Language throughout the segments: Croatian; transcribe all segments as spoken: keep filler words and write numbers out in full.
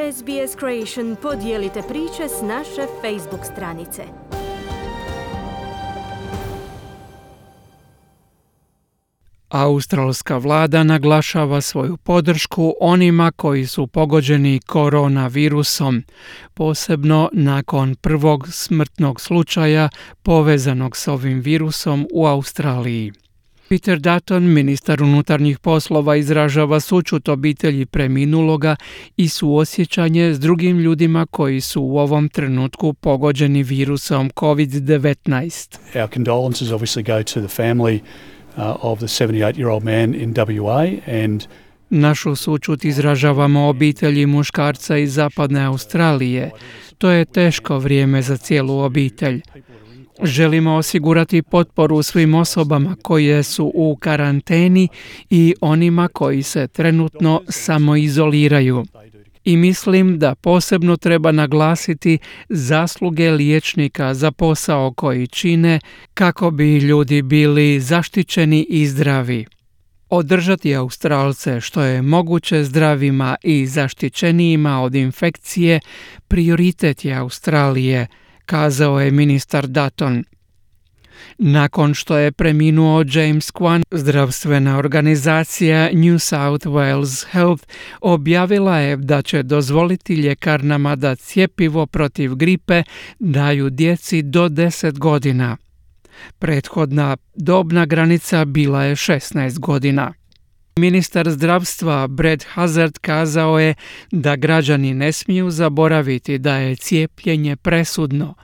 S B S Creation podijelite priče s naše Facebook stranice. Australska vlada naglašava svoju podršku onima koji su pogođeni koronavirusom, posebno nakon prvog smrtnog slučaja povezanog s ovim virusom u Australiji. Peter Dutton, ministar unutarnjih poslova, izražava sućut obitelji preminuloga i suosjećanje s drugim ljudima koji su u ovom trenutku pogođeni virusom covid devetnaest. Our condolences obviously go to the family uh, of the seventy-eight-year-old man in W A and Našu sućut izražavamo obitelji muškarca iz zapadne Australije. To je teško vrijeme za cijelu obitelj. Želimo osigurati potporu svim osobama koje su u karanteni i onima koji se trenutno samoizoliraju. I mislim da posebno treba naglasiti zasluge liječnika za posao koji čine kako bi ljudi bili zaštićeni i zdravi. Održati Australce što je moguće zdravima i zaštićenijima od infekcije prioritet je Australije, kazao je ministar Dutton. Nakon što je preminuo James Kwan, zdravstvena organizacija New South Wales Health objavila je da će dozvoliti ljekarnama da cjepivo protiv gripe daju djeci do deset godina. Prethodna dobna granica bila je šesnaest godina. Ministar zdravstva Brad Hazzard kazao je da građani ne smiju zaboraviti da je cijepljenje presudno,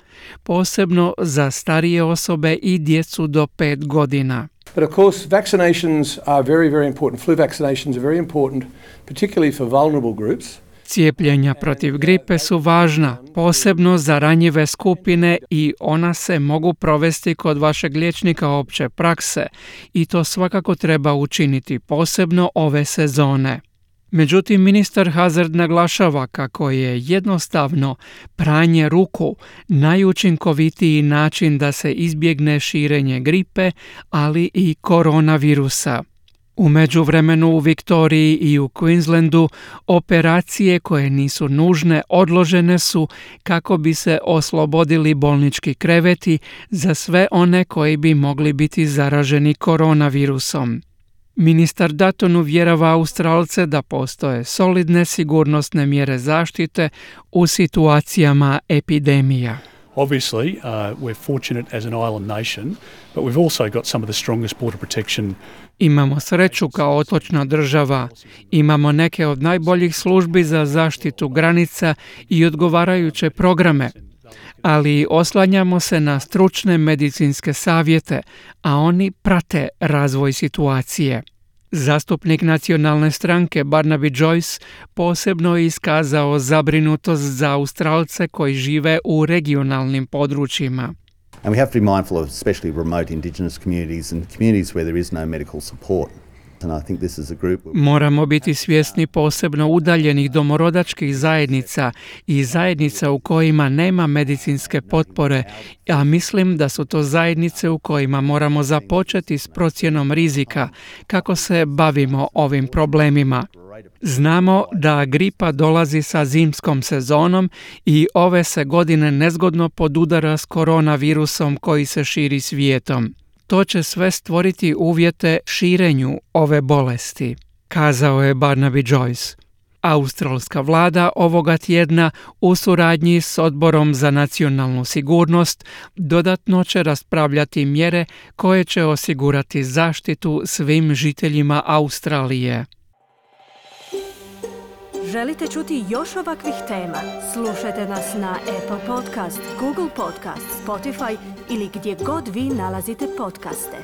posebno za starije osobe i djecu do pet godina. But of course, vaccinations are very, very important. Flu vaccinations are very important, particularly for vulnerable groups. Cijepljenja protiv gripe su važna, posebno za ranjive skupine i ona se mogu provesti kod vašeg liječnika opće prakse i to svakako treba učiniti posebno ove sezone. Međutim, ministar Hazzard naglašava kako je jednostavno pranje ruku najučinkovitiji način da se izbjegne širenje gripe, ali i koronavirusa. U međuvremenu u Viktoriji i u Queenslandu operacije koje nisu nužne odložene su kako bi se oslobodili bolnički kreveti za sve one koji bi mogli biti zaraženi koronavirusom. Ministar Dutton uvjerava Australce da postoje solidne sigurnosne mjere zaštite u situacijama epidemija. obviously uh, we're fortunate as an island nation, but we've also got some of the strongest border protection. Imamo sreću kao otočna država, imamo neke od najboljih službi za zaštitu granica i odgovarajuće programe, ali oslanjamo se na stručne medicinske savjete, a oni prate razvoj situacije. Zastupnik nacionalne stranke Barnaby Joyce posebno je iskazao zabrinutost za Australce koji žive u regionalnim područjima. And we have to be mindful of especially remote Indigenous communities and communities where there is no medical support. And I think this is a group... Moramo biti svjesni posebno udaljenih domorodačkih zajednica i zajednica u kojima nema medicinske potpore, a mislim da su to zajednice u kojima moramo započeti s procjenom rizika kako se bavimo ovim problemima. Znamo da gripa dolazi sa zimskom sezonom i ove se godine nezgodno podudara s koronavirusom koji se širi svijetom. To će sve stvoriti uvjete širenju ove bolesti, kazao je Barnaby Joyce. Australska vlada ovoga tjedna u suradnji s Odborom za nacionalnu sigurnost dodatno će raspravljati mjere koje će osigurati zaštitu svim žiteljima Australije. Želite čuti još ovakvih tema? Slušajte nas na Apple Podcast, Google Podcast, Spotify ili gdje god vi nalazite podcaste.